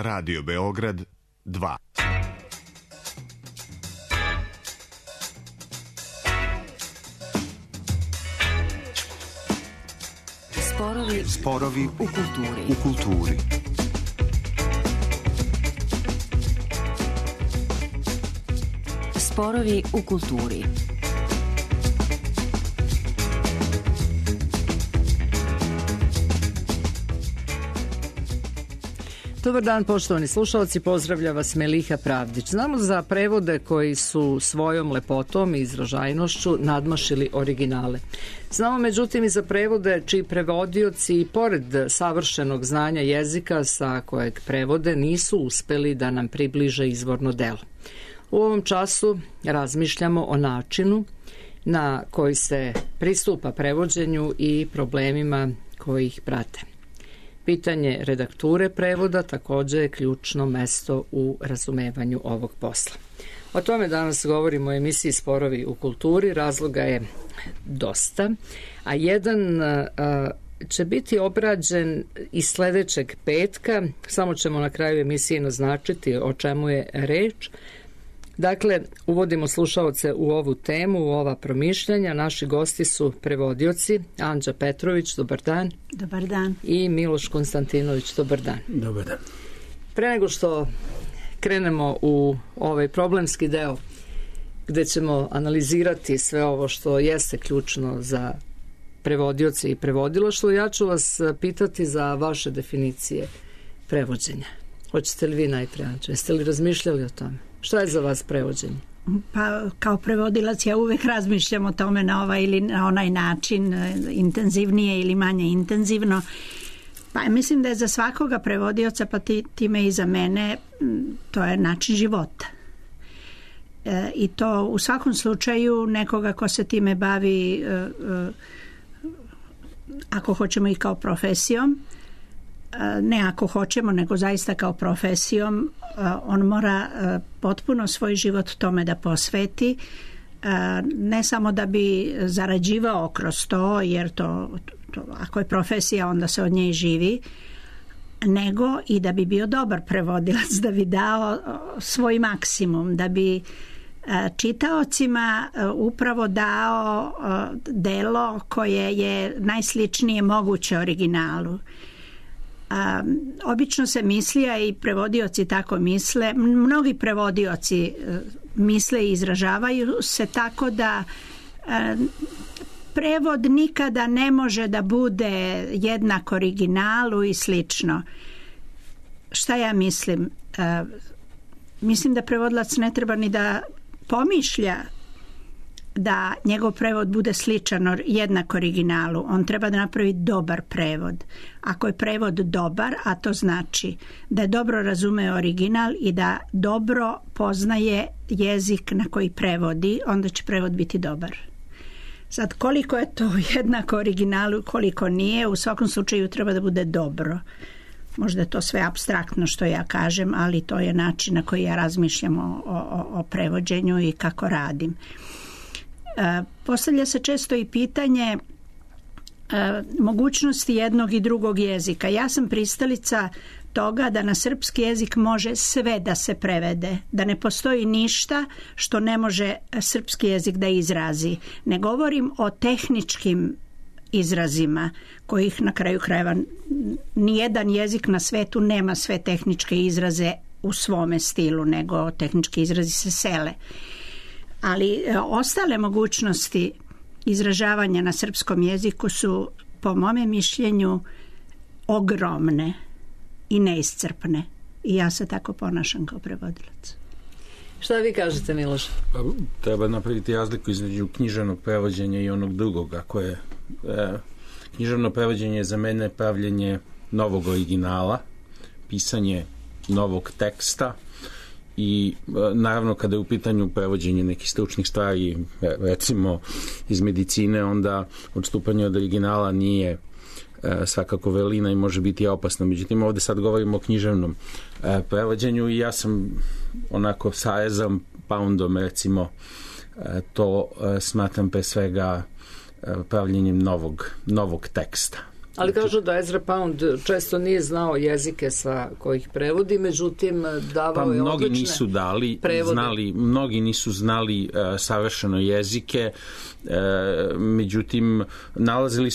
Radio Beograd 2. Sporovi u kulturi. Sporovi u kulturi. Dobar dan, poštovani slušalci, pozdravlja vas Meliha Pravdić. Znamo za prevode koji su svojom lepotom i izražajnošću nadmašili originale. Znamo međutim i za prevode čiji prevodioci, pored savršenog znanja jezika sa kojeg prevode, nisu uspeli da nam približe izvorno delo. U ovom času razmišljamo o načinu na koji se pristupa prevođenju i problemima koji ih prate. Pitanje redakture prevoda također je ključno mesto u razumevanju ovog posla. O tome danas govorimo u emisiji Sporovi u kulturi, razloga je dosta, a jedan će biti obrađen i sljedećeg petka, samo ćemo na kraju emisije naznačiti o čemu je reč. Dakle, uvodimo slušaoce u ovu temu, u ova promišljanja. Naši gosti su prevodioci Anđa Petrović, dobar dan. Dobar dan. I Miloš Konstantinović, dobar dan. Dobar dan. Pre nego što krenemo u ovaj problemski deo gde ćemo analizirati sve ovo što jeste ključno za prevodioce i prevodilaštvo, ja ću vas pitati za vaše definicije prevođenja. Hoćete li vi najpre, Anđa? Jeste li razmišljali o tome? Šta je za vas prevođenje? Pa kao prevodilac ja uvek razmišljam o tome na ovaj ili na onaj način, intenzivnije ili manje intenzivno. Pa mislim da je za svakoga prevodioca, pa time i za mene, to je način života. I to u svakom slučaju nekoga ko se time bavi, ako hoćemo i kao profesijom, ne ako hoćemo, nego zaista kao profesijom, on mora potpuno svoj život tome da posveti, ne samo da bi zarađivao kroz to, jer to ako je profesija onda se od nje i živi, nego i da bi bio dobar prevodilac, da bi dao svoj maksimum, da bi čitaocima upravo dao delo koje je najsličnije moguće originalu. Obično se misli, a i prevodioci tako misle, mnogi prevodioci misle i izražavaju se tako da prevod nikada ne može da bude jednak originalu i slično. Šta ja mislim? Mislim da prevodilac ne treba ni da pomišlja da njegov prevod bude sličan jednak originalu. On treba da napravi dobar prevod. Ako je prevod dobar, a to znači da je dobro razume original i da dobro poznaje jezik na koji prevodi, onda će prevod biti dobar. Sad, koliko je to jednako originalu, koliko nije, u svakom slučaju treba da bude dobro. Možda je to sve apstraktno što ja kažem, ali to je način na koji ja razmišljam o prevođenju i kako radim. Postavlja se često i pitanje mogućnosti jednog i drugog jezika. Ja sam pristalica toga da na srpski jezik može sve da se prevede, da ne postoji ništa što ne može srpski jezik da izrazi. Ne govorim o tehničkim izrazima kojih na kraju krajeva nijedan jezik na svetu nema sve tehničke izraze u svome stilu, nego tehnički izrazi se sele. Ali ostale mogućnosti izražavanja na srpskom jeziku su, po mome mišljenju, ogromne i neiscrpne. I ja se tako ponašam kao prevodilac. Šta vi kažete, Miloš? Treba napraviti razliku između književnog prevođenja i onog drugog. Ako je književno prevođenje za mene pravljenje novog originala, pisanje novog teksta, i naravno kada je u pitanju prevođenje nekih stručnih stvari, recimo iz medicine, onda odstupanje od originala nije svakako velina i može biti opasno. Međutim, ovdje sad govorimo o književnom prevođenju i ja sam onako sa Ezrom Poundom, recimo, to smatram pre svega pravljenjem novog teksta. Ali kažu da Ezra Pound često nije znao jezike sa kojih prevodi, međutim davao je odlične prevode. Mnogi nisu znali savršeno jezike, međutim nalazili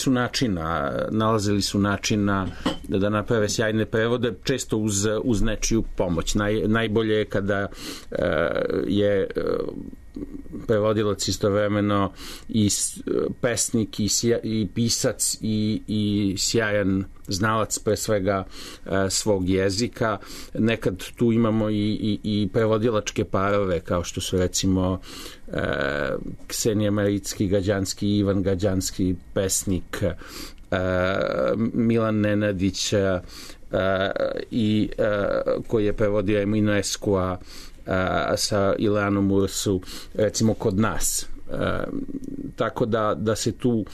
su načina da naprave sjajne prevode, često uz nečiju pomoć. Najbolje je kada je prevodilac istovremeno i pesnik i pisac i sjajan znalac pre svega svog jezika. Nekad tu imamo i prevodilačke parove kao što su recimo Ksenija Maricki-Gađanski i Ivan Gađanski, pesnik, Milan Nenadić i koji je prevodio Emina Eskua sa Ileanom Ursu, recimo kod nas. Tako da se tu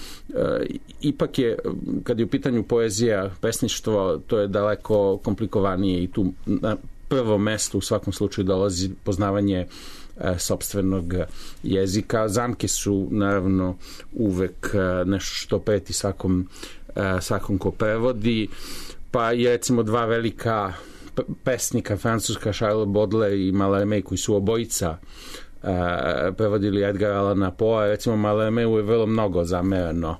ipak je, kad je u pitanju poezija, pesništvo, to je daleko komplikovanije i tu na prvo mesto u svakom slučaju dolazi poznavanje sopstvenog jezika. Zamke su naravno uvek nešto što preti svakom ko prevodi, pa je recimo dva velika pesnika francuska, Charles Baudelaire i Mallarmé, koji su obojica prevodili Edgar Allana Poe. Recimo Mallarméu je vrlo mnogo zamerano,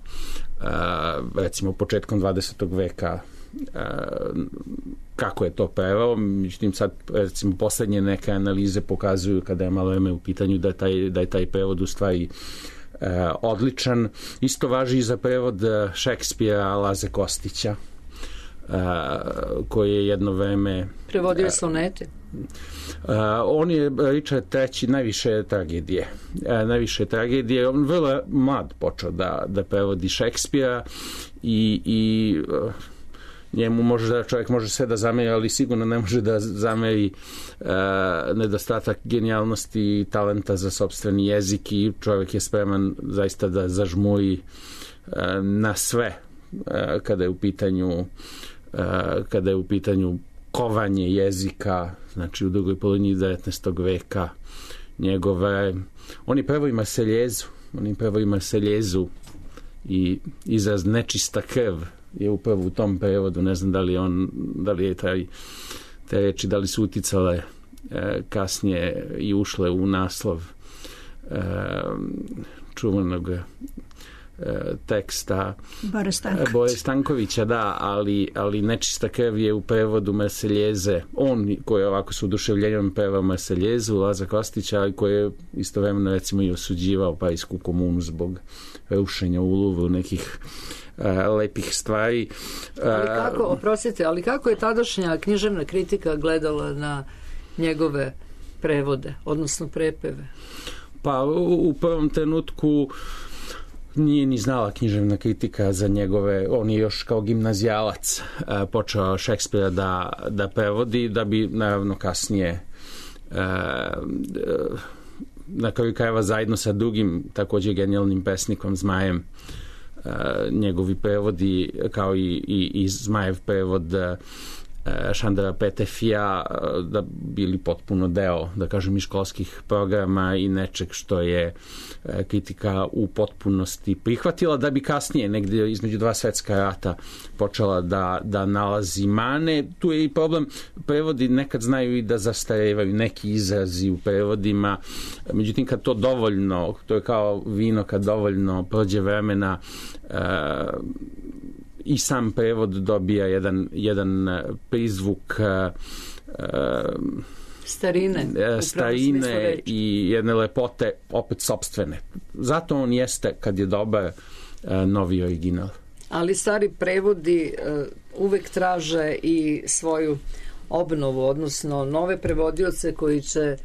recimo početkom 20. veka kako je to preveo. Međutim, sad recimo poslednje neke analize pokazuju kada je Mallarmé u pitanju da je taj prevod u stvari odličan. Isto važi i za prevod Šekspira Laze Kostića, koji je jedno vreme prevodio sonete. On je Richard III. Najviše tragedije. On vrlo mlad počeo da prevodi Šekspira i njemu čovjek može sve da zameri, ali sigurno ne može da zameri nedostatak genijalnosti i talenta za sopstveni jezik, i čovjek je spreman zaista da zažmuri na sve kada je u pitanju kovanje jezika, znači u drugoj polovini 19. veka oni prevodi Marseljezu i izraz nečista krv je upravo u tom prevodu. Ne znam da li je te reči, da li su uticale kasnije i ušle u naslov čuvenog teksta Bore Stankovića, da, ali nečista krv je u prevodu Marseljeze. On koji je ovako s oduševljenjem pevao Marseljezu, Laza Kostića, ali koji je istovremeno recimo i osuđivao Parijsku komunu zbog rušenja u Louvru nekih lepih stvari. Ali kako je tadašnja književna kritika gledala na njegove prevode, odnosno prepeve? Pa u prvom trenutku nije ni znala književna kritika za njegove, on je još kao gimnazijalac počeo Šekspira da prevodi, da bi naravno kasnije na kraju krajeva zajedno sa drugim također genijalnim pesnikom Zmajem njegovi prevodi, kao i Zmajev prevod Šandora Petefija, da bili potpuno deo, da kažem, i školskih programa i nečeg što je kritika u potpunosti prihvatila, da bi kasnije, negdje između dva svetska rata, počela da nalazi mane. Tu je i problem, prevodi nekad znaju i da zastarevaju neki izrazi u prevodima, međutim kad to dovoljno, to je kao vino, kad dovoljno prođe vremena, i sam prevod dobija jedan prizvuk starine i jedne lepote opet sopstvene. Zato on jeste, kad je dobar, novi original. Ali stari prevodi uvek traže i svoju obnovu, odnosno nove prevodioce koji će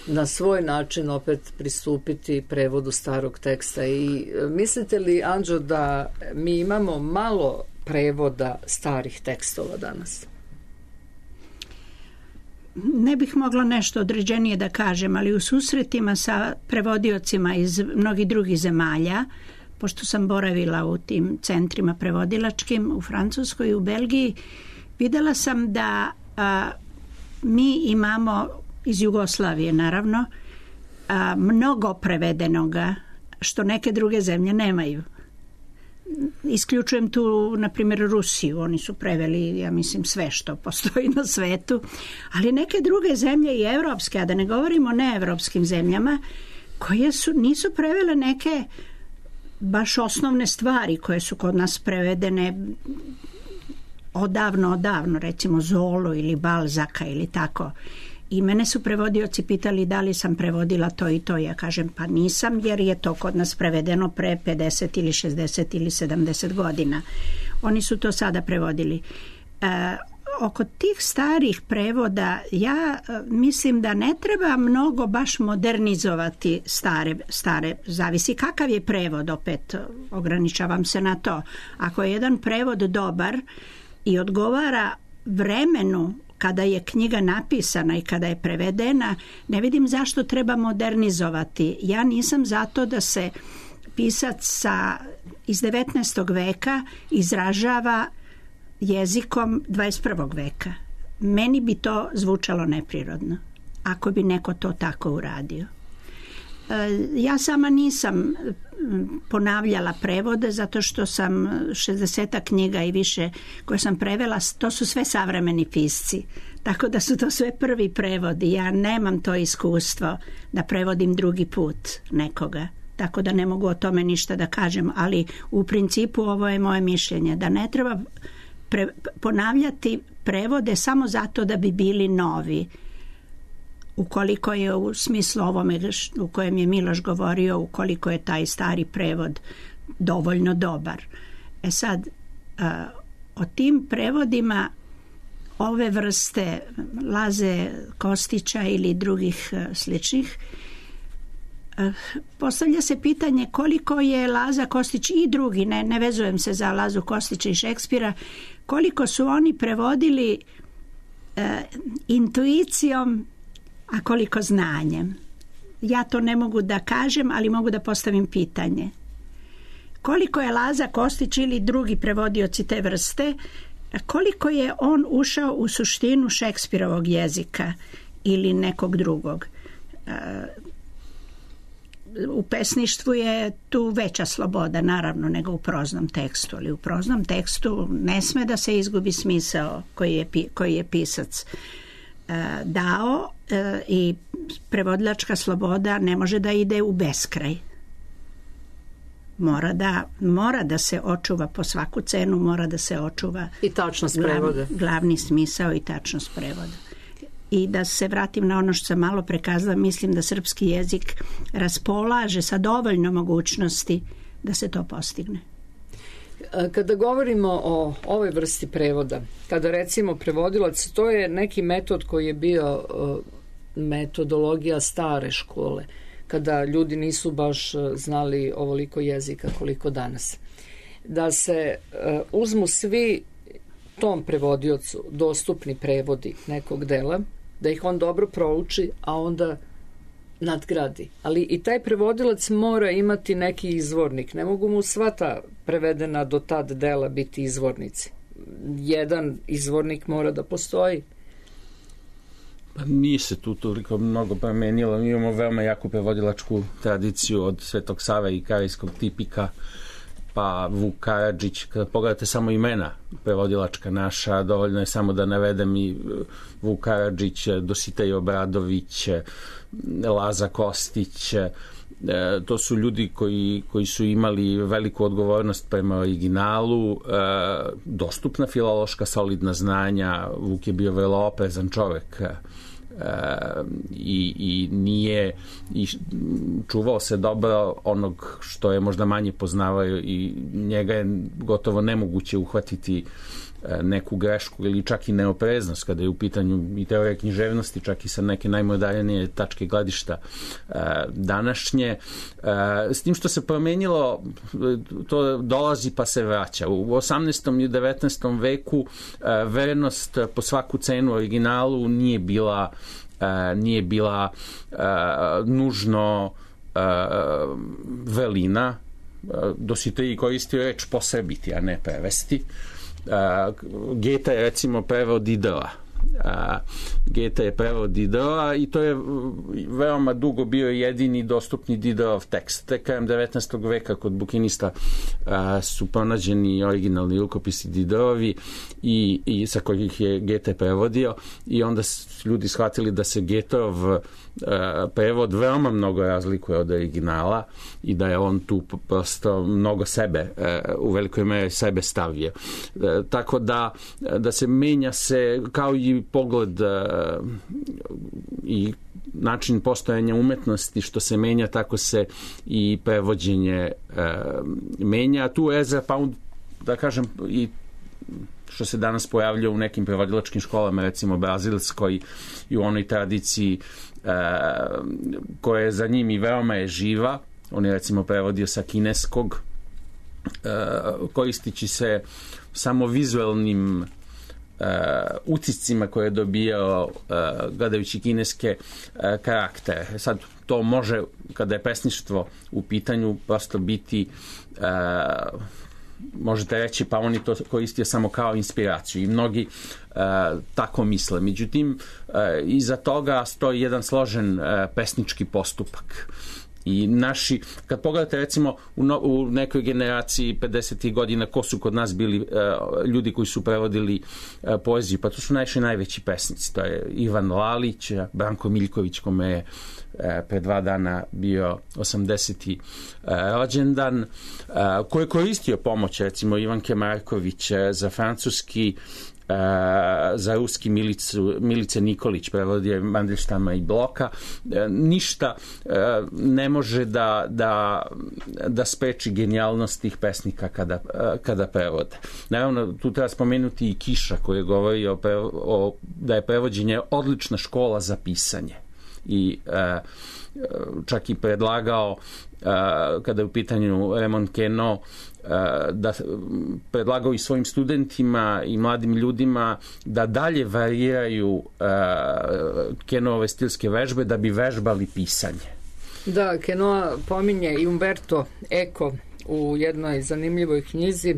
na svoj način opet pristupiti prevodu starog teksta. I mislite li, Anđo, da mi imamo malo prevoda starih tekstova danas? Ne bih mogla nešto određenije da kažem, ali u susretima sa prevodiocima iz mnogih drugih zemalja, pošto sam boravila u tim centrima prevodilačkim u Francuskoj i u Belgiji, videla sam da mi imamo iz Jugoslavije naravno mnogo prevedenoga što neke druge zemlje nemaju. isključujem tu, na primjer, Rusiju. Oni su preveli, ja mislim, sve što postoji na svetu. Ali neke druge zemlje i evropske, a da ne govorimo o neevropskim zemljama, koje nisu prevele neke baš osnovne stvari koje su kod nas prevedene odavno, recimo Zolu ili Balzaka ili tako. I mene su prevodioci pitali da li sam prevodila to i to. Ja kažem pa nisam, jer je to kod nas prevedeno pre 50 ili 60 ili 70 godina. Oni su to sada prevodili. Oko tih starih prevoda ja mislim da ne treba mnogo baš modernizovati stare, zavisi kakav je prevod, opet ograničavam se na to. Ako je jedan prevod dobar i odgovara vremenu kada je knjiga napisana i kada je prevedena, ne vidim zašto treba modernizovati. Ja nisam zato da se pisac iz 19. veka izražava jezikom 21. veka. Meni bi to zvučalo neprirodno, ako bi neko to tako uradio. Ja sama nisam ponavljala prevode, zato što sam 60 knjiga i više koje sam prevela, to su sve savremeni pisci. Tako da su to sve prvi prevodi. Ja nemam to iskustvo da prevodim drugi put nekoga. Tako da ne mogu o tome ništa da kažem, ali u principu ovo je moje mišljenje, da ne treba ponavljati prevode samo zato da bi bili novi. Ukoliko je u smislu ovome u kojem je Miloš govorio, ukoliko je taj stari prevod dovoljno dobar. Sad, o tim prevodima ove vrste Laze Kostića ili drugih sličnih, postavlja se pitanje koliko je Laza Kostić i drugi, ne vezujem se za Lazu Kostića i Šekspira, koliko su oni prevodili intuicijom, a koliko znanjem. Ja to ne mogu da kažem, ali mogu da postavim pitanje. Koliko je Laza Kostić ili drugi prevodioci te vrste, koliko je on ušao u suštinu Šekspirovog jezika ili nekog drugog? U pesništvu je tu veća sloboda, naravno, nego u proznom tekstu, ali u proznom tekstu ne sme da se izgubi smisao koji je pisac dao i prevodilačka sloboda ne može da ide u beskraj. Mora da se očuva po svaku cenu, mora da se očuva i tačnost prevoda. Glavni smisao i tačnost prevoda. I da se vratim na ono što sam malo prekazala, mislim da srpski jezik raspolaže sa dovoljno mogućnosti da se to postigne. Kada govorimo o ovoj vrsti prevoda, kada recimo prevodilac, to je neki metod koji je bio metodologija stare škole, kada ljudi nisu baš znali ovoliko jezika koliko danas. Da se uzmu svi tom prevodiocu dostupni prevodi nekog dela, da ih on dobro prouči, a onda nadgradi. Ali i taj prevodilac mora imati neki izvornik. Ne mogu mu sva ta prevedena do tad dela biti izvornici. Jedan izvornik mora da postoji. Pa nije se tu toliko mnogo promenilo. Mi imamo veoma jaku prevodilačku tradiciju od Svetog Save i Karijskog tipika, pa Vuk Karadžić. Kada pogledate samo imena prevodilačka naša, dovoljno je samo da navedem i Vuk Karadžić, Dositej Obradović, Laza Kostić. To su ljudi koji su imali veliku odgovornost prema originalu, dostupna filološka solidna znanja. Vuk je bio vrlo oprezan čovek i nije i čuvao se dobro onog što je možda manje poznavao i njega je gotovo nemoguće uhvatiti neku grešku ili čak i neopreznost kada je u pitanju i teorija književnosti, čak i sa neke najmodernije tačke gledišta današnje. S tim što se promenilo, to dolazi pa se vraća. U 18. i 19. veku vernost po svaku cenu originalu nije bila nužno velina. Dositej koristio reč posrbiti, a ne prevesti. Geta je recimo preveo Didela. Geta je prevod Diderota i to je veoma dugo bio jedini dostupni Diderov tekst. Tek krajem 19. veka kod bukinista su pronađeni originalni rukopisi Diderovi i sa kojih je Geta prevodio i onda su ljudi shvatili da se Getorov prevod veoma mnogo razlikuje od originala i da je on tu prosto mnogo sebe, u velikoj meri sebe stavio. Tako da se menja se kao i pogled i način postojanja umetnosti što se menja, tako se i prevođenje menja. Tu Ezra Pound, da kažem, i što se danas pojavlja u nekim prevodilačkim školama, recimo brazilskoj i u onoj tradiciji koja je za njim i veoma je živa. On je recimo prevodio sa kineskog, koristići se samo vizualnim utiscima koje je dobijao gledajući kineske karaktere. Sad to može, kada je pesništvo u pitanju, prosto biti možete reći pa oni to koristio samo kao inspiraciju i mnogi tako misle. Međutim, iza toga stoji jedan složen pesnički postupak. I naši, kad pogledate recimo u nekoj generaciji 50. godina ko su kod nas bili ljudi koji su prevodili poeziju, pa to su najveći pesnici. To je Ivan Lalić, Branko Miljković, kome je pre 2 dana bio 80. rođendan, koji je koristio pomoć recimo Ivanke Marković za francuski, za ruski Milice Nikolić, prevodio je Mandelštama i Bloka. Ništa ne može da spreči genijalnost tih pesnika kada prevode. Naravno, tu treba spomenuti i Kiša koji je govorio da je prevođenje odlična škola za pisanje. I čak i predlagao, kada je u pitanju Raymond Queneau, da predlagao i svojim studentima i mladim ljudima da dalje variraju Queneauove stilske vežbe da bi vežbali pisanje. Da, Queneau pominje i Umberto Eco u jednoj zanimljivoj knjizi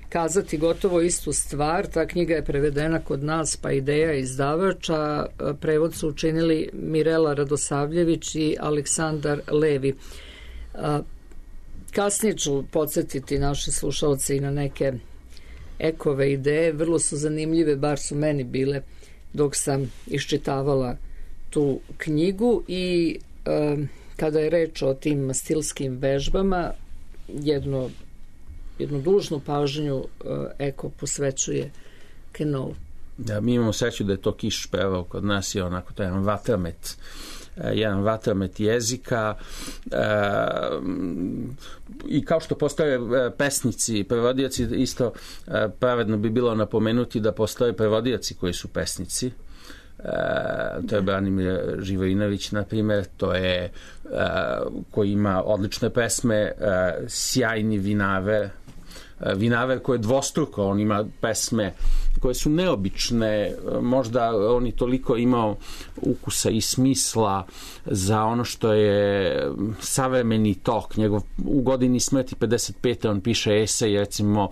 kazati gotovo istu stvar. Ta knjiga je prevedena kod nas, pa Ideja izdavača. Prevod su učinili Mirela Radosavljević i Aleksandar Levi. Kasnije ću podsjetiti naše slušalce i na neke Ekove ideje. Vrlo su zanimljive, bar su meni bile dok sam iščitavala tu knjigu i kada je reč o tim stilskim vežbama, jednu dužnu pažnju Eko posvećuje Queneau. Da, mi imamo sreću da je to Kiš preveo kod nas i onako to je jedan vatromet jezika i kao što postoje pesnici, prevodioci, isto pravedno bi bilo napomenuti da postoje prevodioci koji su pesnici. To je Branimir Živojinović, na primjer, to je koji ima odlične pesme, sjajni Vinaver koji je dvostruko, on ima pesme koje su neobične, možda on je toliko imao ukusa i smisla za ono što je savremeni tok. Njegov u godini smrti 55. on piše esej recimo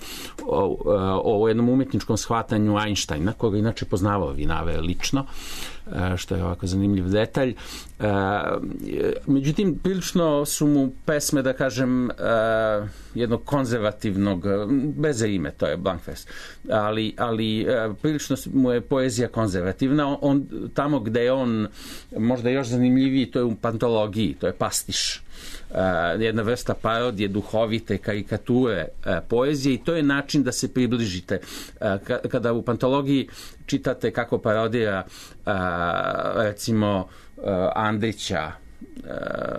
o jednom umetničkom shvatanju Einsteina, koga inače poznavao Vinaver lično, što je ovako zanimljiv detalj. Međutim, prilično su mu pesme, da kažem, jednog konzervativnog, bez ime, to je Blankfest, ali prilično mu je poezija konzervativna. On, tamo gde je on možda još zanimljiviji, to je u pantologiji, to je pastiš. Jedna vrsta parodije, duhovite karikature poezije i to je način da se približite. Kada u pantologiji čitate kako parodira recimo Andrića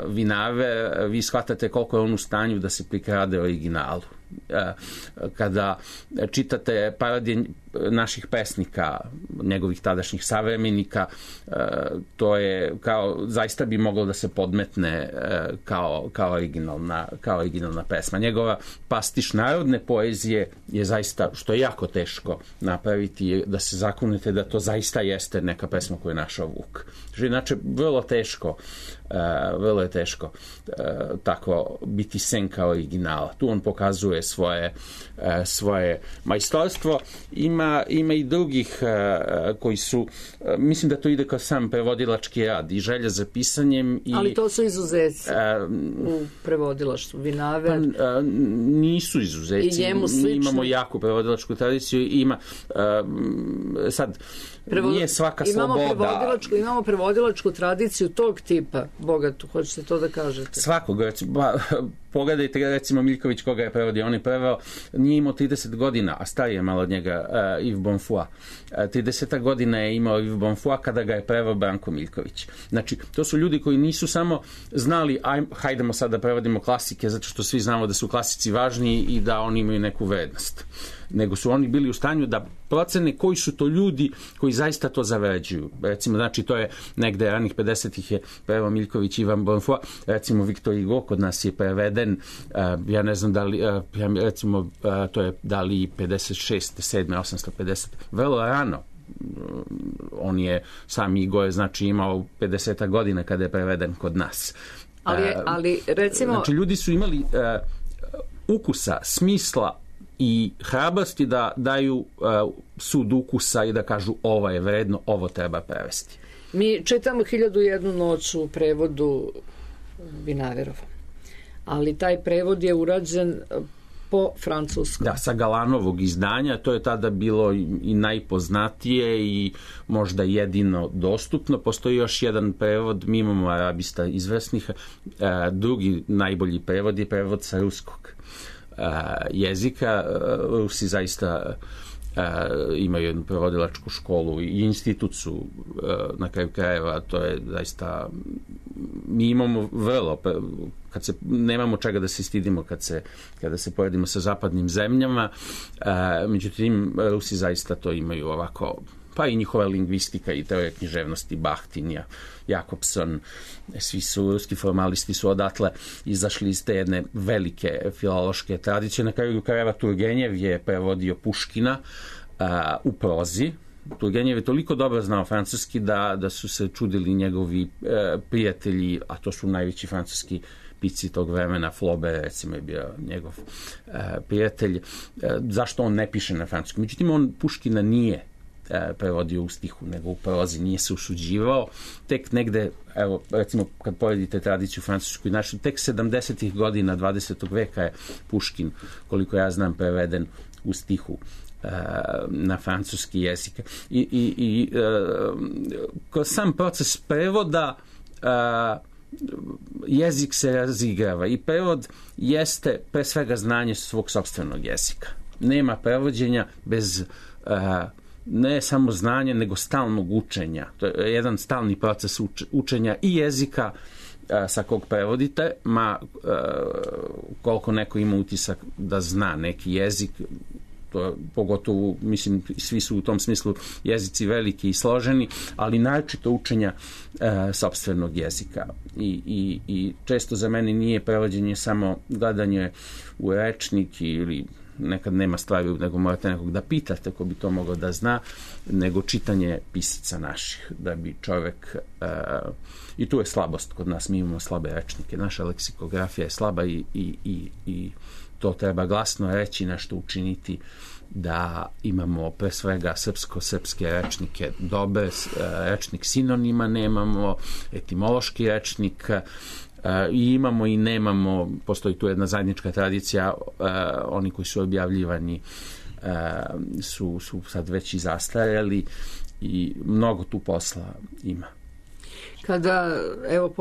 Vinave, vi shvatate koliko je on u stanju da se prikrade originalu. Kada čitate parodije naših pesnika, njegovih tadašnjih savremenika, to je kao, zaista bi moglo da se podmetne kao originalna pesma. Njegova pastiš narodne poezije je zaista, što je jako teško napraviti, da se zakunete da to zaista jeste neka pesma koju je našao Vuk. Inače, vrlo je teško tako biti senka originala. Tu on pokazuje svoje majstorstvo. Ima ima i drugih koji su, mislim da to ide kao sam prevodilački rad i želja za pisanjem. Ali to su izuzeci u prevodilaštvu. Vinaver. Nisu izuzeci. Mi imamo jaku prevodilačku tradiciju. Ima sad nije svaka sloboda. Imamo prevodilačku tradiciju tog tipa, bogatu, hoćete to da kažete? Svakog, recimo, pogledajte recimo Miljković koga je prevodio, on je preveo, nije imao 30 godina, a stariji je malo od njega, Yves Bonfoy. 30 godina je imao Yves Bonfoy kada ga je preveo Branko Miljković. Znači, to su ljudi koji nisu samo znali, hajdemo sad da prevodimo klasike, zato što svi znamo da su klasici važni i da oni imaju neku vrednost. Nego su oni bili u stanju da procene koji su to ljudi koji zaista to zavređuju. Recimo, znači, to je negde ranih 50-ih je preveo Miljković i Yves Bonfoy. Recimo, Victor Hugo kod nas je preveden, ja ne znam da li, recimo, to je da li 56, 7, 850, vrlo rano. On je, sam Hugo je, znači, imao 50 godina kada je preveden kod nas. Ali recimo... Znači, ljudi su imali ukusa, smisla i hrabrosti da daju sud ukusa i da kažu ovo je vredno, ovo treba prevesti. Mi čitamo 1001 noć u prevodu Vinaverova, ali taj prevod je urađen po francuskom. Da, sa Galanovog izdanja, to je tada bilo i najpoznatije i možda jedino dostupno. Postoji još jedan prevod, mi imamo arabista izvrsnih, drugi najbolji prevod je prevod sa ruskog jezika. Rusi zaista imaju jednu prevodilačku školu i institut su na kraju krajeva, to je zaista, mi imamo vrlo, kad se, nemamo čega da se stidimo kada se poredimo sa zapadnim zemljama, međutim Rusi zaista to imaju ovako, pa i njihova lingvistika i teorija književnosti, Bahtin, Jakobson, svi su, ruski formalisti su odatle izašli iz te jedne velike filološke tradicije. Na kraju krajeva Turgenjev je prevodio Puškina u prozi. Turgenev je toliko dobro znao francuski da su se čudili njegovi prijatelji, a to su najveći francuski pisci tog vremena, Flaubert recimo je bio njegov prijatelj, zašto on ne piše na francuskom. Međutim, on Puškina nije prevodio u stihu, nego u prozi, nije se usuđivao. Tek negde, evo, recimo, kad poredite tradiciju francusku i našu, tek 70. godina 20. veka je Puškin, koliko ja znam, preveden u stihu na francuski jezik. I kroz sam proces prevoda jezik se razigrava i prevod jeste pre svega znanje svog sopstvenog jezika. Nema prevođenja bez ne samo znanje, nego stalnog učenja. To je jedan stalni proces učenja i jezika sa kog prevodite, koliko neko ima utisak da zna neki jezik, to pogotovo, mislim, svi su u tom smislu jezici veliki i složeni, ali naročito učenja sopstvenog jezika. I često za mene nije prevođenje samo gledanje u rečnik ili nekad nema stvari, nego morate nekog da pitate ko bi to mogao da zna, nego čitanje pisaca naših, da bi čovek i tu je slabost kod nas, mi imamo slabe rečnike, naša leksikografija je slaba i to treba glasno reći, nešto učiniti da imamo pre svega srpske rečnike dobre, rečnik sinonima nemamo, etimološki rečnik i imamo i nemamo, postoji tu jedna zajednička tradicija, oni koji su objavljivani su sad već i zastarjeli i mnogo tu posla ima. Kada, evo,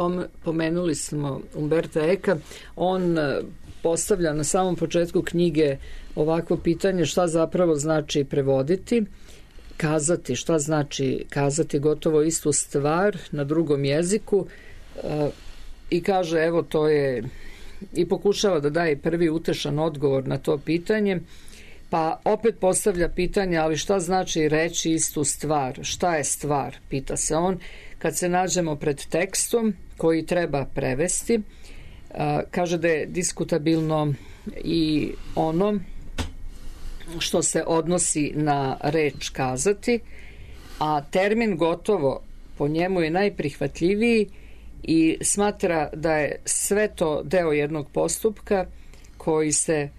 pomenuli smo Umberta Eka, on postavlja na samom početku knjige ovakvo pitanje šta zapravo znači prevoditi, kazati, šta znači kazati gotovo istu stvar na drugom jeziku, i kaže, evo, to je, i pokušava da daje prvi utešan odgovor na to pitanje, pa opet postavlja pitanje, ali šta znači reći istu stvar, šta je stvar, pita se on, kad se nađemo pred tekstom koji treba prevesti. Kaže da je diskutabilno i ono što se odnosi na reč kazati, a termin gotovo po njemu je najprihvatljiviji i smatra da je sve to deo jednog postupka koji se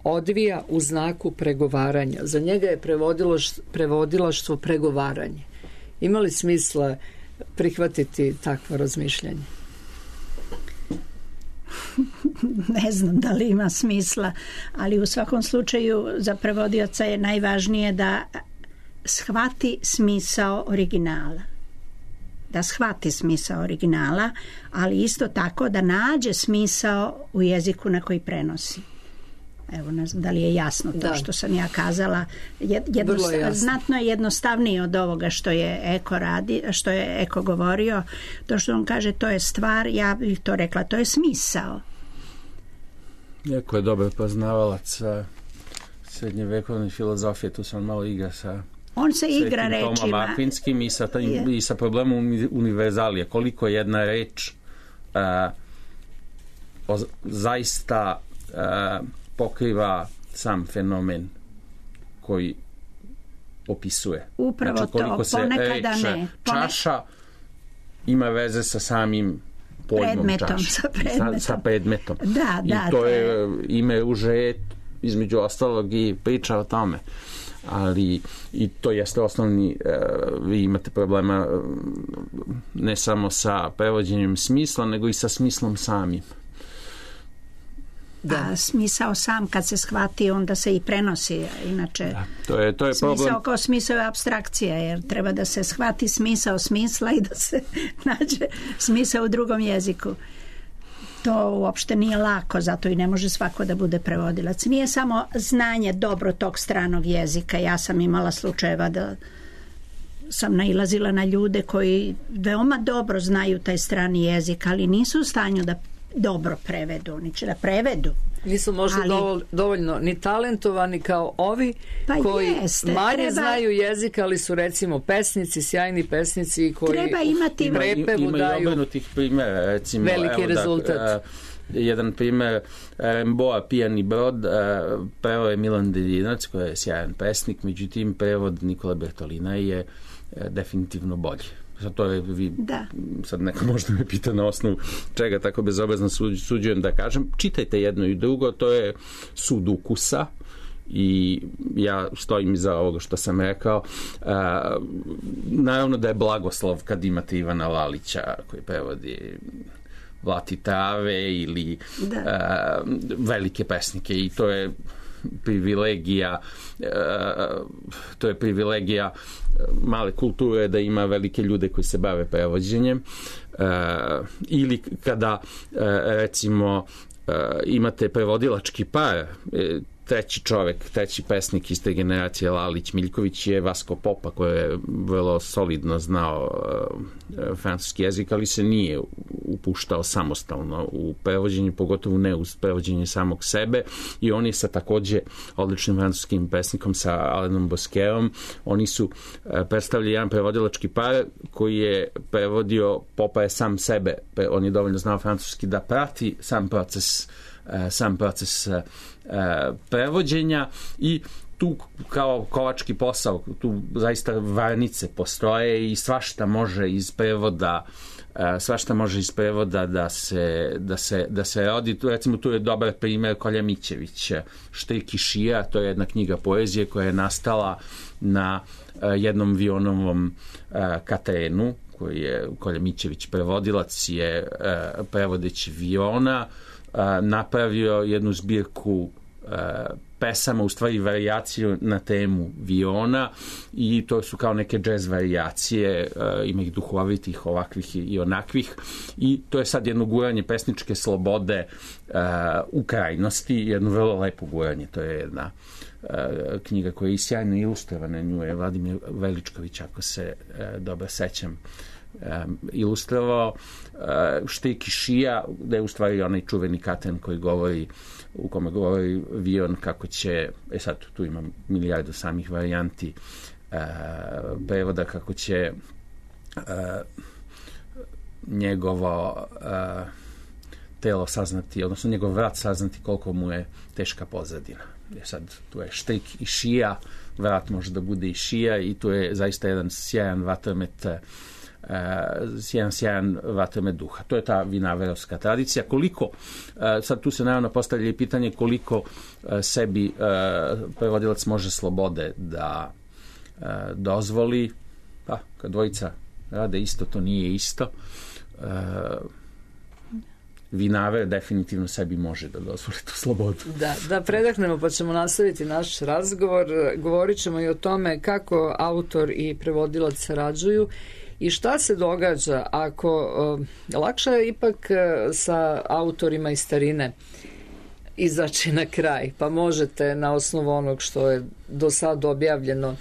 odvija u znaku pregovaranja. Za njega je prevodilaštvo pregovaranje. Ima li smisla prihvatiti takvo razmišljanje? Ne znam da li ima smisla, ali u svakom slučaju za prevodioca je najvažnije da shvati smisao originala. Da shvati smisao originala, ali isto tako da nađe smisao u jeziku na koji prenosi. Evo, ne znam da li je jasno to što sam ja kazala. Znatno je jednostavnije od ovoga što je što je Eko govorio. To što on kaže, to je stvar, ja bih to rekla, to je smisao. Eko je dobar poznavalac srednjevekovne filozofije, tu sam malo igra sa... On se igra rečima. Tomom Akvinskim i sa problemom univerzalije. Koliko jedna reč zaista pokriva sam fenomen koji opisuje. Upravo znači, koliko to, ponekada ne. Čaša ima veze sa samim pojmom čaša. Sa predmetom. Da, I to je ime uže između ostalog i priča o tome. Ali i to jeste osnovni, vi imate problema ne samo sa prevođenjem smisla, nego i sa smislom samim. Da, smisao sam kad se shvati onda se i prenosi, inače da, to je smisao problem. Kao smisao je apstrakcija, jer treba da se shvati smisao smisla i da se nađe smisao u drugom jeziku. To uopšte nije lako, zato i ne može svako da bude prevodilac. Nije samo znanje dobro tog stranog jezika. Ja sam imala slučajeva da sam nailazila na ljude koji veoma dobro znaju taj strani jezik, ali nisu u stanju da dobro prevedu, ni će da prevedu. Nisu možda dovoljno ni talentovani kao ovi koji manje znaju jezik, ali su recimo pesnici, sjajni pesnici koji u prepevu daju ima i obrnutih primjera, recimo veliki rezultat. Jedan primjer, Remboa Pijani brod, preveo je Milan Dedinac koji je sjajan pesnik, međutim prevod Nikola Bertolina je definitivno bolji. To je, sad neko možda me pita na osnovu čega tako bezobrazno suđujem da kažem. Čitajte jedno i drugo, to je sud ukusa i ja stojim iza ovoga što sam rekao. Naravno da je blagoslov kad imate Ivana Lalića koji prevodi Vlati trave ili velike pesnike i to je privilegija male kulture da ima velike ljude koji se bave prevođenjem ili kada recimo imate prevodilački par, treći pesnik iz te generacije Lalić-Miljković je Vasko Popa koji je vrlo solidno znao francuski jezik, ali se nije upuštao samostalno u prevođenje, pogotovo ne uz prevođenje samog sebe i on je sa takođe odličnim francuskim pesnikom sa Alanom Bosquetom, oni su predstavili jedan prevodilački par koji je prevodio, Popa je sam sebe, on je dovoljno znao francuski da prati sam proces prevođenja i tu kao kovački posao, tu zaista varnice postoje i svašta može iz prevoda da se rodi. Recimo tu je dobar primjer Kolja Mićević, Štrik i šija, to je jedna knjiga poezije koja je nastala na jednom Vionovom Katrenu, koji je Kolja Mićević prevodilac, je prevodeći Viona napravio jednu zbirku pesama, u stvari varijaciju na temu Viona i to su kao neke džez varijacije, ima ih duhovitih, ovakvih i onakvih i to je sad jedno guranje pesničke slobode u krajnosti, jedno vrlo lepo guranje, to je jedna knjiga koja je sjajno ilustrovana, nju je Vladimir Veličković, ako se dobro sećam, ilustrovao. Štrik i šija, da je u stvari onaj čuveni Katrin u kome govori Vion kako će, sad tu ima milijardu samih varijanti prevoda, kako će njegovo telo saznati, odnosno njegov vrat saznati koliko mu je teška pozadina. Sad tu je štrik i šija, vrat može da bude i šija i tu je zaista jedan sjajan vatromet jedan sjajan vatromet duha. To je ta vinaverovska tradicija. Koliko, sad tu se naravno postavlja i pitanje koliko sebi prevodilac može slobode da dozvoli, pa kad dvojica rade isto, to nije isto. Vinaver definitivno sebi može da dozvoli tu slobodu. Da predahnemo pa ćemo nastaviti naš razgovor. Govorit ćemo i o tome kako autor i prevodilac sarađuju i šta se događa ako lakše je ipak sa autorima iz starine izaći na kraj, pa možete na osnovu onog što je do sad objavljeno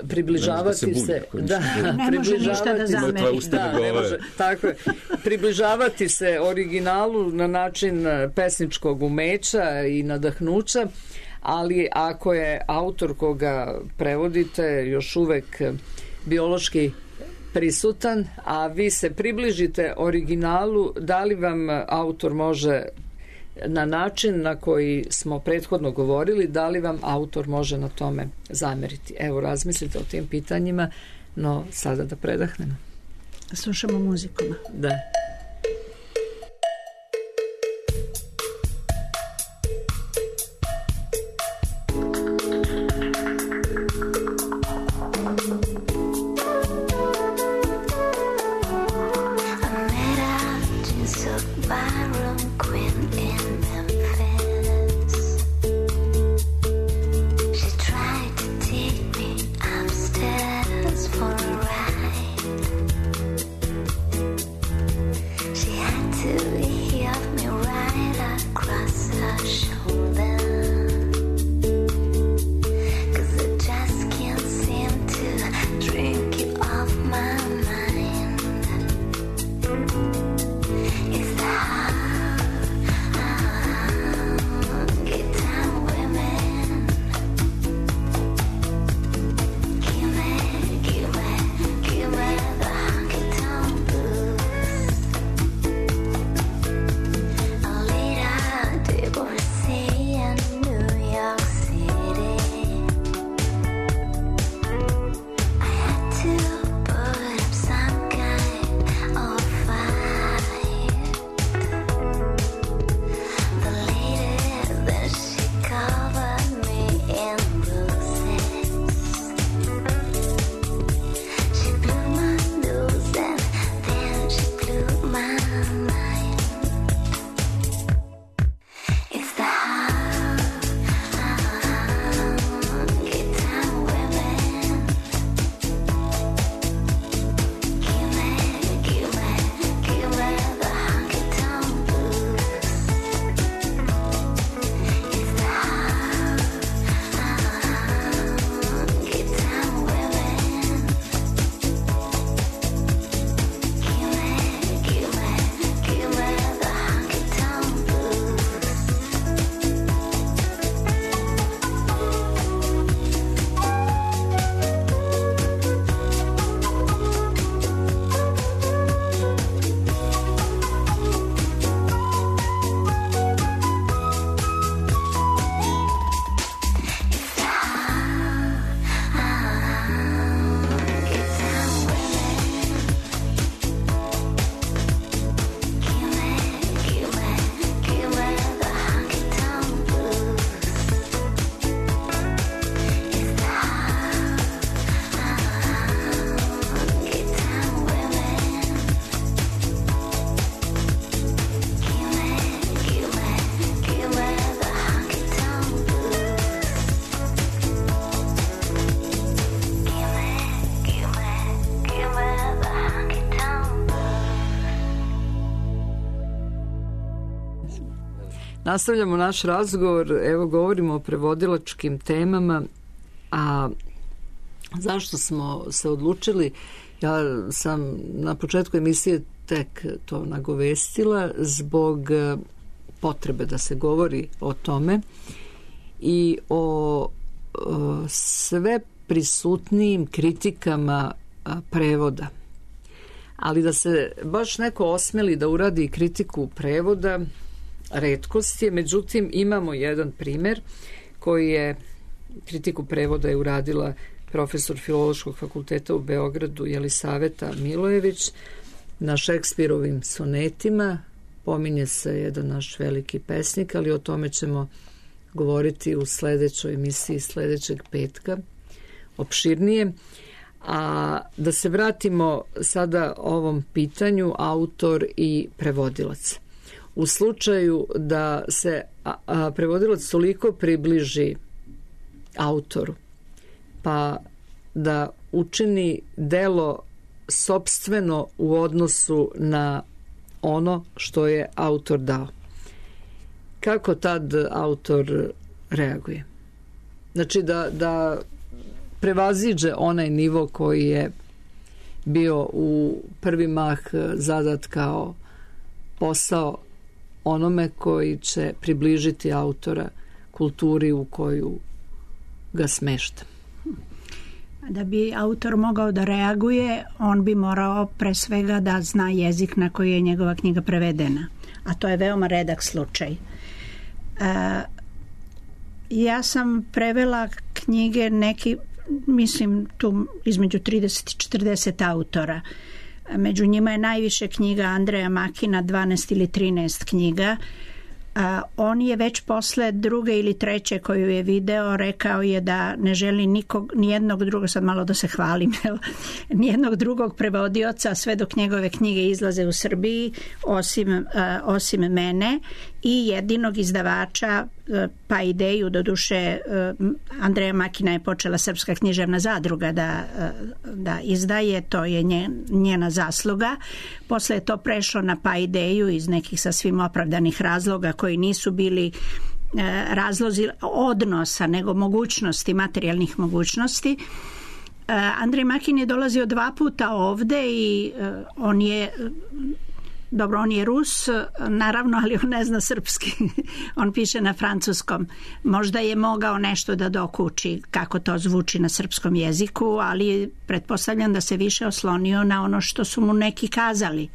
približavati se, približavati se originalu na način pesničkog umeća i nadahnuća, ali ako je autor koga prevodite još uvek biološki prisutan, a vi se približite originalu, da li vam autor može na način na koji smo prethodno govorili, da li vam autor može na tome zameriti? Evo, razmislite o tim pitanjima, no sada da predahnemo. Slušamo muziku. Da. Nastavljamo naš razgovor, evo govorimo o prevodilačkim temama, a zašto smo se odlučili, ja sam na početku emisije tek to nagovestila zbog potrebe da se govori o tome i o sve prisutnijim kritikama prevoda. Ali da se baš neko osmeli da uradi kritiku prevoda, retkost je, međutim imamo jedan primer koji je, kritiku prevoda je uradila profesor Filološkog fakulteta u Beogradu Jelisaveta Milojević. Na Šekspirovim sonetima pominje se jedan naš veliki pesnik, ali o tome ćemo govoriti u sledećoj emisiji sledećeg petka opširnije. A da se vratimo sada ovom pitanju autor i prevodilac. U slučaju da se prevodilac toliko približi autoru, pa da učini delo sopstveno u odnosu na ono što je autor dao, kako tad autor reaguje? Znači da prevaziđe onaj nivo koji je bio u prvi mah zadat kao posao onome koji će približiti autora kulturi u koju ga smešta. Da bi autor mogao da reaguje, on bi morao pre svega da zna jezik na koji je njegova knjiga prevedena, a to je veoma redak slučaj. Ja sam prevela knjige neki, mislim tu između 30 i 40 autora. Među njima je najviše knjiga Andreja Makina, 12 ili 13 knjiga. On je već posle druge ili treće koju je video rekao je da ne želi nijednog drugog, sad malo da se hvalim, nijednog drugog prevodioca sve dok njegove knjige izlaze u Srbiji osim mene i jedinog izdavača pa ideju, doduše Andreja Makina je počela Srpska književna zadruga da izdaje, to je njena zasluga. Posle je to prešlo na pa ideju iz nekih sasvim opravdanih razloga koji nisu bili razlozi odnosa nego mogućnosti, materijalnih mogućnosti. Andrej Makin je dolazio 2 puta ovde i on je Rus, naravno, ali on ne zna srpski. On piše na francuskom. Možda je mogao nešto da dokuči kako to zvuči na srpskom jeziku, ali pretpostavljam da se više oslonio na ono što su mu neki kazali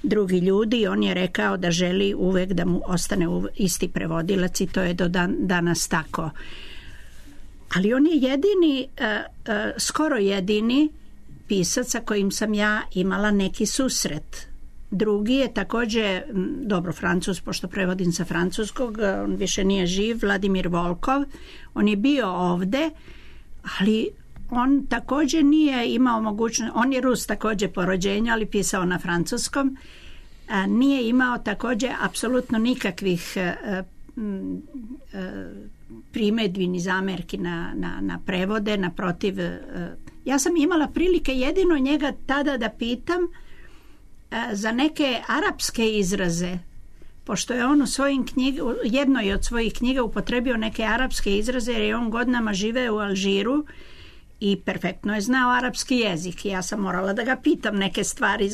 drugi ljudi. On je rekao da želi uvek da mu ostane isti prevodilac i to je do danas tako. Ali on je jedini, skoro jedini pisac sa kojim sam ja imala neki susret. Drugi je takođe, Francuz, pošto prevodim sa francuskog, on više nije živ, Vladimir Volkov. On je bio ovde, ali on takođe nije imao mogućnost, on je Rus takođe po rođenju, ali pisao na francuskom. Nije imao takođe apsolutno nikakvih primedbi ni zamerki na prevode, naprotiv. Ja sam imala prilike jedino njega tada da pitam za neke arapske izraze, pošto je on u jednoj od svojih knjiga upotrebio neke arapske izraze jer je on godinama živeo u Alžiru i perfektno je znao arapski jezik. Ja sam morala da ga pitam neke stvari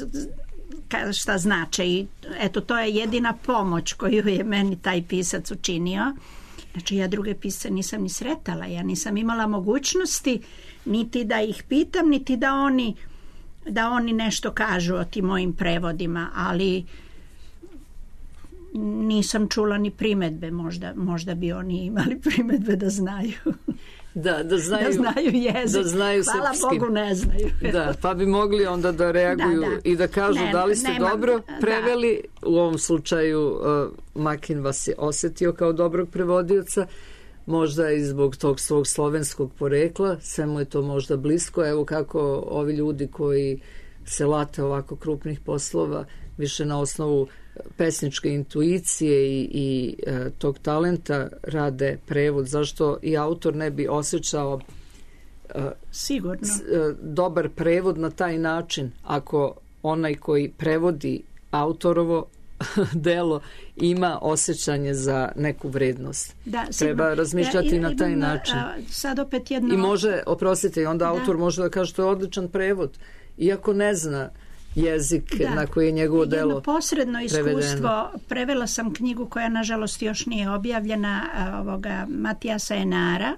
šta znače i eto to je jedina pomoć koju je meni taj pisac učinio. Znači ja druge pisce nisam ni sretala, ja nisam imala mogućnosti niti da ih pitam, niti da oni nešto kažu o tim mojim prevodima, ali nisam čula ni primedbe, možda bi oni imali primedbe da znaju. Da znaju jezik. Da znaju hvala srpski. Bogu ne znaju. Da, pa bi mogli onda da reaguju i da kažu da li ste dobro preveli. U ovom slučaju Makin vas je osetio kao dobrog prevodioca, možda i zbog tog svog slovenskog porekla, sve mu je to možda blisko. Evo kako ovi ljudi koji se late ovako krupnih poslova više na osnovu pesničke intuicije i tog talenta rade prevod. Zašto i autor ne bi osjećao sigurno dobar prevod na taj način ako onaj koji prevodi autorovo delo ima osjećanje za neku vrednost. Da, treba razmišljati na taj način. Sad opet jedno... I može, oprostite, i onda autor može da kaže to je odličan prevod, iako ne zna jezik na koji je njegovo delo jedno posredno iskustvo. Prevela sam knjigu koja nažalost još nije objavljena, Matijasa Enara,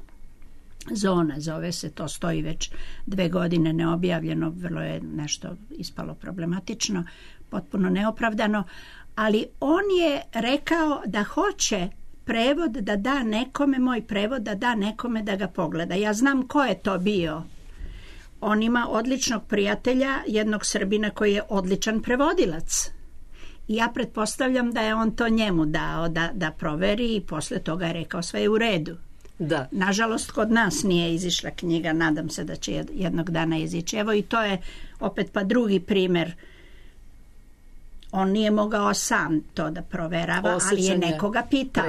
Zona zove se, to stoji već 2 godine neobjavljeno, vrlo je nešto ispalo problematično, potpuno neopravdano, ali on je rekao da hoće prevod da da nekome, moj prevod da da nekome da ga pogleda. Ja znam ko je to bio. On ima odličnog prijatelja, jednog Srbina koji je odličan prevodilac. I ja pretpostavljam da je on to njemu dao da proveri i posle toga je rekao sve je u redu. Da. Nažalost, kod nas nije izišla knjiga, nadam se da će jednog dana izići. Evo i to je opet pa drugi primer. On nije mogao sam to da proverava, ali je nekoga pitao.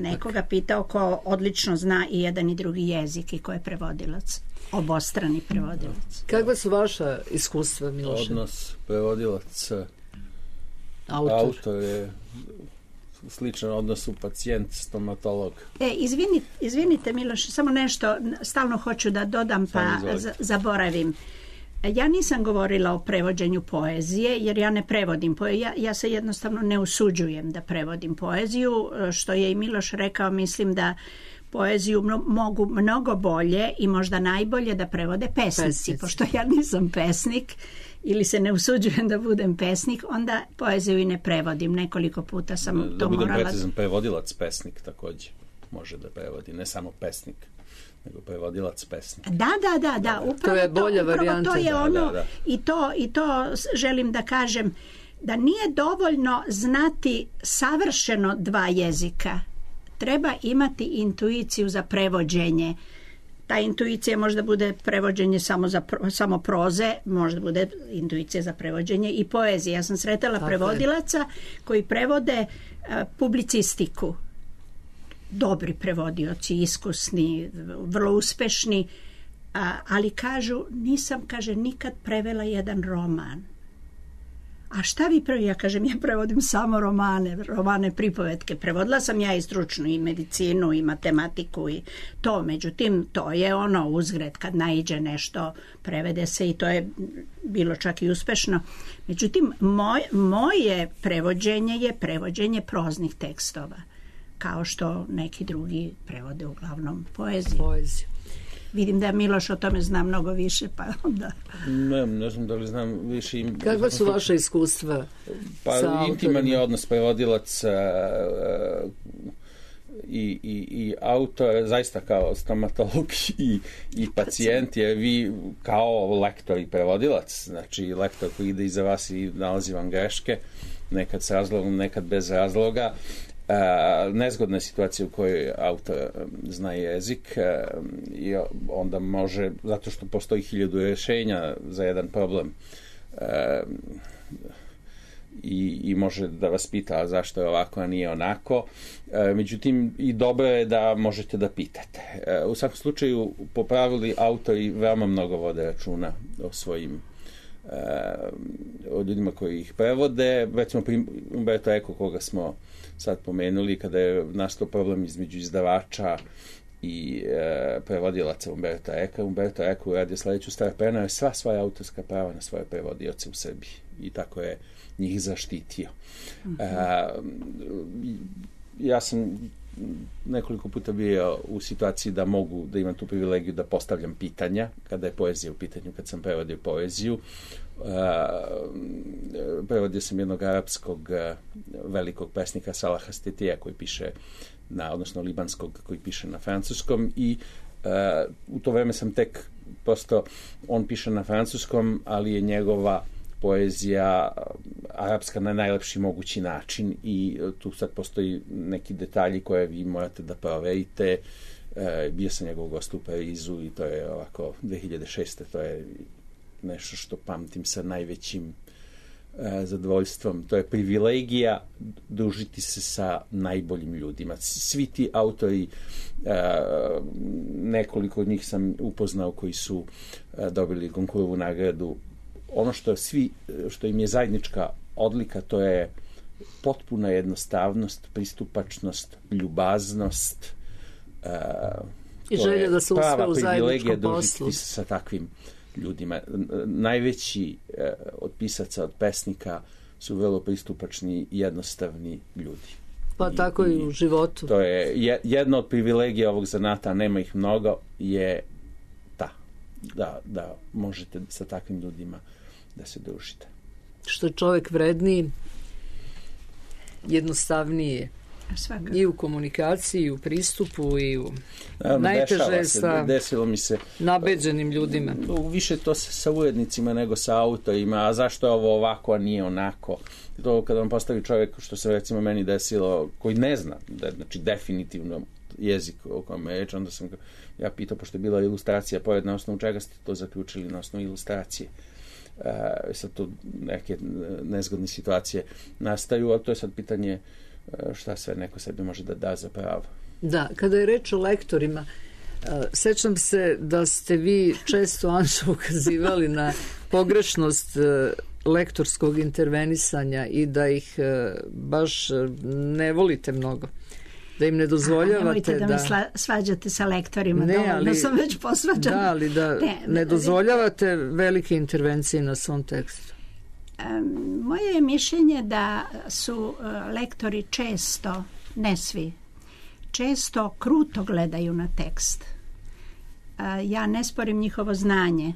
Nekoga pitao ko odlično zna i jedan i drugi jezik i ko je prevodilac. Obostrani prevodilac. Kakva su vaša iskustva, Miloše? Odnos prevodilac autor je sličan odnosu pacijent-stomatolog. Izvinite Miloš, samo nešto stalno hoću da dodam pa zaboravim. Ja nisam govorila o prevođenju poezije jer ja ne prevodim ja se jednostavno ne usuđujem da prevodim poeziju, što je i Miloš rekao, mislim da poeziju mogu mnogo bolje i možda najbolje da prevode pesnici. Pošto ja nisam pesnik ili se ne usuđujem da budem pesnik, onda poeziju i ne prevodim. Nekoliko puta sam to morala... Da budem precizan, prevodilac pesnik također može da prevodi, ne samo pesnik, nego prevodilac pesnik. Da. Upravo to je bolja varijanta. To je ono. I to želim da kažem, da nije dovoljno znati savršeno dva jezika. Treba imati intuiciju za prevođenje. Ta intuicija možda bude prevođenje samo proze, možda bude intuicija za prevođenje i poezije. Ja sam sretala prevodilaca koji prevode publicistiku. Dobri prevodioci, iskusni, vrlo uspešni, ali kažu, nisam, nikad prevela jedan roman. A šta vi prevodite? Ja kažem, ja prevodim samo romane pripovetke. Prevodila sam ja i stručnu i medicinu i matematiku i to. Međutim, to je ono uzgred kad naiđe nešto, prevede se i to je bilo čak i uspešno. Međutim, moje prevođenje je prevođenje proznih tekstova, kao što neki drugi prevode uglavnom poeziju. Vidim da Miloš o tome zna mnogo više, pa onda... Ne znam da li znam više... Kakva su vaše iskustva sa autorima? Intiman je odnos prevodilac i autor, zaista kao stomatolog i pacijent, jer vi kao lektor i prevodilac, znači lektor koji ide iza vas i nalazi vam greške, nekad s razlogom, nekad bez razloga. Nezgodna je situacija u kojoj autor zna jezik i onda može, zato što postoji 1000 rješenja za jedan problem i može da vas pita zašto je ovako, a nije onako. Međutim, i dobro je da možete da pitate. U svakom slučaju, po pravili, autori veoma mnogo vode računa o svojim o ljudima koji ih prevode. Recimo, Umberto Eco, koga smo sad pomenuli, kada je nastao problem između izdavača i prevodilaca Umberto Eca. Umberto Eco uradio sledeću stvar, preneo je sva svoja autorska prava na svoje prevodioce u Srbiji i tako je njih zaštitio. Ja sam nekoliko puta bio u situaciji da mogu da imam tu privilegiju da postavljam pitanja kada je poezija u pitanju, kad sam prevodio poeziju. Prevodio sam jednog arapskog velikog pesnika Salaha Stetija koji piše odnosno libanskog koji piše na francuskom i u to vreme sam tek prosto, on piše na francuskom, ali je njegova poezija arapska na najlepši mogući način i tu sad postoji neki detalji koje vi morate da proverite. Bio sam njegov gost u Parizu i to je ovako 2006. To je nešto što pamtim sa najvećim zadovoljstvom. To je privilegija družiti se sa najboljim ljudima. Svi ti autori, nekoliko od njih sam upoznao koji su dobili Goncourtovu nagradu. Ono što im je zajednička odlika, to je potpuna jednostavnost, pristupačnost, ljubaznost. I želja da se uspe u zajedničkom poslu. Družiti se sa takvim ljudima. Najveći od pisaca, od pesnika su vrlo pristupačni i jednostavni ljudi. Pa tako i u životu. To je jedna od privilegija ovog zanata, nema ih mnogo, je da možete sa takvim ljudima da se družite. Što je čovjek vredniji, jednostavnije I u komunikaciji, i u pristupu, i u najteže sa desilo mi se nabeđenim ljudima. Više to sa urednicima nego sa autorima, a zašto je ovo ovako, a nije onako. To kada vam postavi čovjek, što se recimo meni desilo, koji ne zna, znači definitivno jezik o kojem je reč, onda sam ja pitao, pošto je bila ilustracija pored, na osnovu čega ste to zaključili, na osnovu ilustracije. Sad tu neke nezgodne situacije nastaju, ali to je sad pitanje šta sve neko sebi može da za pravo. Da, kada je reč o lektorima, sećam se da ste vi često, Anšo, ukazivali na pogrešnost lektorskog intervenisanja i da ih baš ne volite mnogo. Da im ne dozvoljavate nemojte da me svađate sa lektorima, dovoljno sam već posvađana. Da, ali da ne dozvoljavate velike intervencije na svom tekstu. Moje je mišljenje da su lektori često, ne svi, često kruto gledaju na tekst. Ja ne sporim njihovo znanje,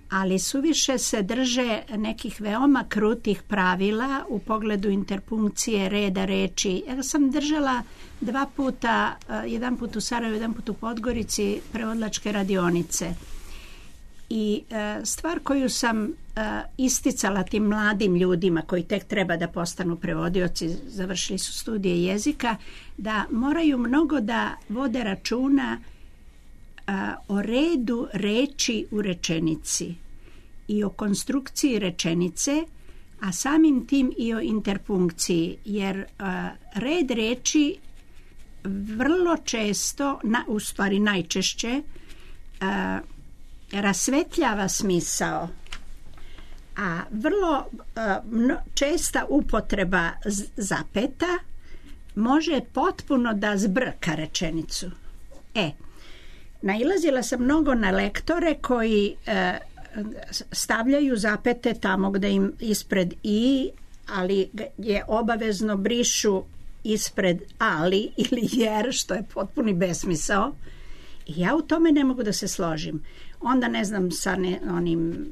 ali suviše se drže nekih veoma krutih pravila u pogledu interpunkcije, reda reči. Ja sam držala 2 puta, jedan put u Sarajevu, jedan put u Podgorici, prevodilačke radionice. I stvar koju sam isticala tim mladim ljudima koji tek treba da postanu prevodioci, završili su studije jezika, da moraju mnogo da vode računa o redu reči u rečenici i o konstrukciji rečenice, a samim tim i o interpunkciji, jer red reči vrlo često, u stvari najčešće, rasvetljava smisao, a vrlo česta upotreba zapeta može potpuno da zbrka rečenicu. Nailazila sam mnogo na lektore koji stavljaju zapete tamo gde im ispred i, ali je obavezno brišu ispred ali ili jer, što je potpuni besmisao. I ja u tome ne mogu da se složim. Onda ne znam sa onim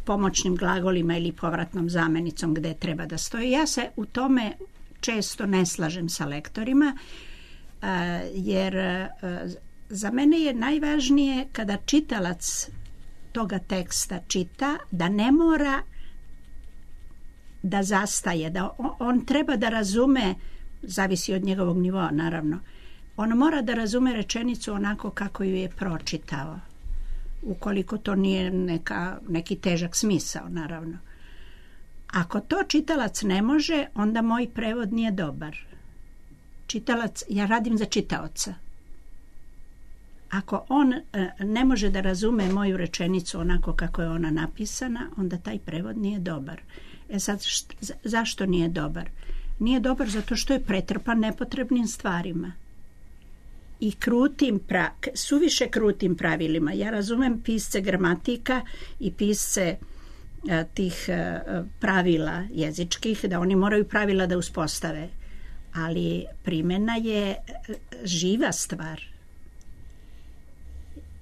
pomoćnim glagolima ili povratnom zamenicom gde treba da stoji. Ja se u tome često ne slažem sa lektorima, jer za mene je najvažnije kada čitalac toga teksta čita, da ne mora da zastaje, da on treba da razume, zavisi od njegovog nivoa naravno, on mora da razume rečenicu onako kako ju je pročitao, ukoliko to nije neki težak smisao naravno. Ako to čitalac ne može, onda moj prevod nije dobar. Čitalac, ja radim za čitaoca. Ako on ne može da razume moju rečenicu onako kako je ona napisana, onda taj prevod nije dobar. Sad, zašto nije dobar? Nije dobar zato što je pretrpan nepotrebnim stvarima i suviše krutim pravilima. Ja razumem pisce gramatika i pisce tih pravila jezičkih, da oni moraju pravila da uspostave, ali primjena je živa stvar.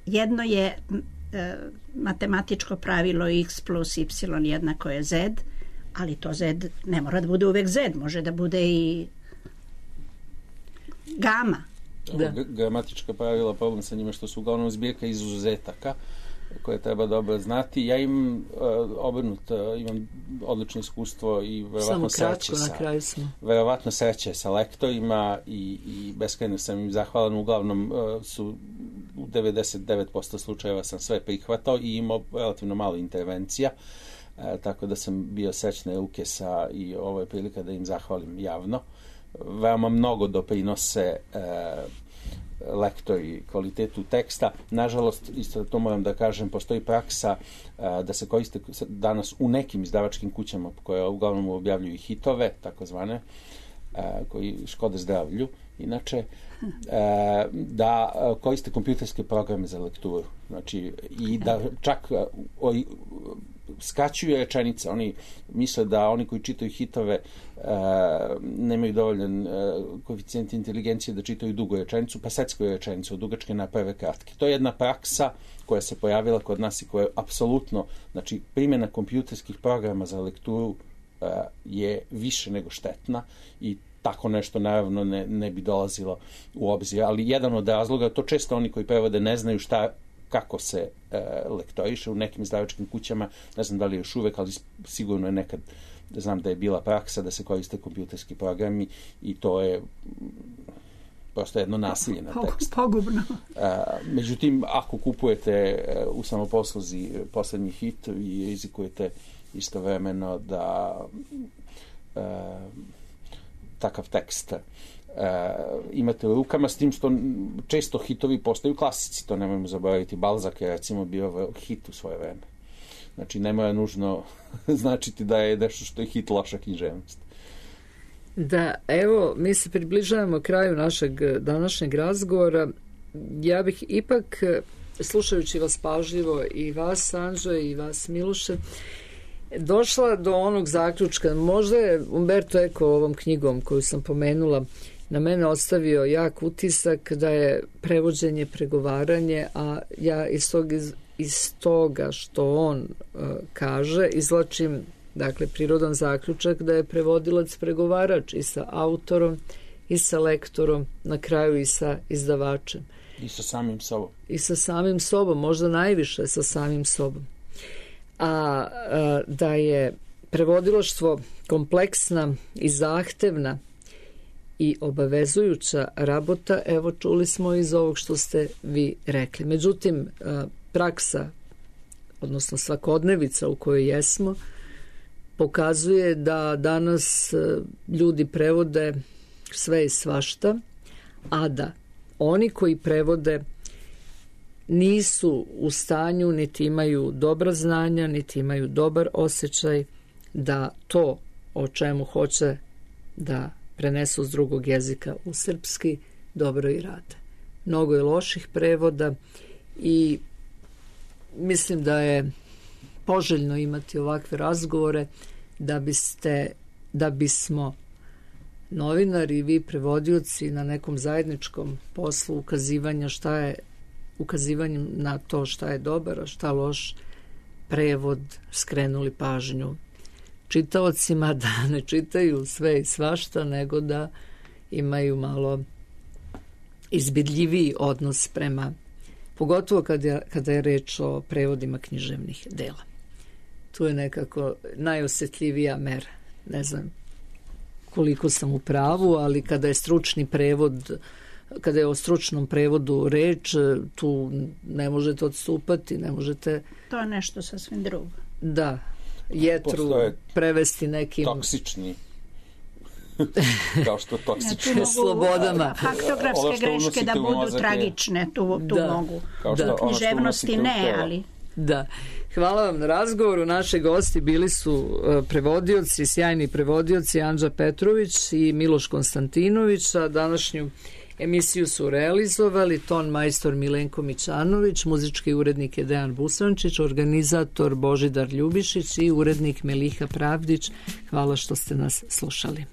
Jedno je matematičko pravilo x plus y jednako je z, ali to z ne mora da bude uvek z, može da bude i gama. Gramatička pravila, problem sa njima što su uglavnom zbirka izuzetaka koje treba dobro znati. Ja imam imam odlično iskustvo i verovatno sreće sa lektorima i beskrajno sam im zahvalan. Uglavnom su u 99% slučajeva sam sve prihvatao i imao relativno malo intervencija, tako da sam bio srećne ruke i ovo je prilika da im zahvalim javno. Veoma mnogo doprinose lektori kvalitetu teksta. Nažalost, isto to moram da kažem, postoji praksa da se koriste danas u nekim izdavačkim kućama koje uglavnom objavljuju hitove, takozvane, koji škode zdravlju, inače, da koriste kompjuterske programe za lekturu. Znači, i da čak skraćuju rečenice. Oni misle da oni koji čitaju hitove nemaju dovoljan koeficijent inteligencije da čitaju dugu rečenicu, pa seckaju rečenicu od dugačke naprave kratke. To je jedna praksa koja se pojavila kod nas i koja je apsolutno, znači primjena kompjuterskih programa za lekturu je više nego štetna i tako nešto naravno ne bi dolazilo u obzir. Ali jedan od razloga, to često oni koji prevode ne znaju kako se lektoriše u nekim izdavačkim kućama, ne znam da li je još uvek, ali sigurno je nekad, znam da je bila praksa da se koriste kompjuterski programi i to je prosto jedno nasilje na tekst. Pogubno. Međutim, ako kupujete u samoposluzi poslednji hit i rizikujete istovremeno da takav tekst imate u rukama, s tim što često hitovi postaju klasici, to nemojmo zaboraviti. Balzac je recimo bio hit u svoje vreme. Znači, ne mora nužno značiti da je nešto što je hit loša književnost. Da, evo, mi se približavamo kraju našeg današnjeg razgovora. Ja bih ipak, slušajući vas pažljivo, i vas, Anđe, i vas, Miloše, došla do onog zaključka. Možda je Umberto Eco ovom knjigom koju sam pomenula na mene ostavio jak utisak da je prevođenje, pregovaranje, a ja iz toga što on kaže izvlačim, dakle, prirodan zaključak da je prevodilac pregovarač i sa autorom i sa lektorom, na kraju i sa izdavačem. I sa samim sobom. I sa samim sobom, možda najviše sa samim sobom. A da je prevodilaštvo kompleksna i zahtevna i obavezujuća rabota, evo čuli smo iz ovog što ste vi rekli. Međutim, praksa, odnosno svakodnevica u kojoj jesmo, pokazuje da danas ljudi prevode sve i svašta, a da oni koji prevode nisu u stanju, niti imaju dobra znanja, niti imaju dobar osjećaj da to o čemu hoće da prenesu s drugog jezika u srpski dobro i rade. Mnogo je loših prevoda i mislim da je poželjno imati ovakve razgovore da bismo novinari i vi prevodioci na nekom zajedničkom poslu ukazivanjem na to šta je dobar, a šta loš prevod skrenuli pažnju čitaocima da ne čitaju sve i svašta, nego da imaju malo izbidljiviji odnos prema, pogotovo kada je reč o prevodima književnih dela. Tu je nekako najosjetljivija mera. Ne znam koliko sam u pravu, ali kada je stručni prevod, kada je o stručnom prevodu reč, tu ne možete odstupati, ne možete... To je nešto sasvim drugo. Da, jetru prevesti nekim... Toksični. Kao što toksični. Slobodama. Faktografske greške da budu tragične, tu mogu. Književnosti ne, ali... Da. Hvala vam na razgovoru. Naši gosti bili su prevodioci, sjajni prevodioci Anđa Petrović i Miloš Konstantinović, a današnju emisiju su realizovali ton majstor Milenko Mićanović, muzički urednik je Dejan Busančić, organizator Božidar Ljubišić i urednik Meliha Pravdić. Hvala što ste nas slušali.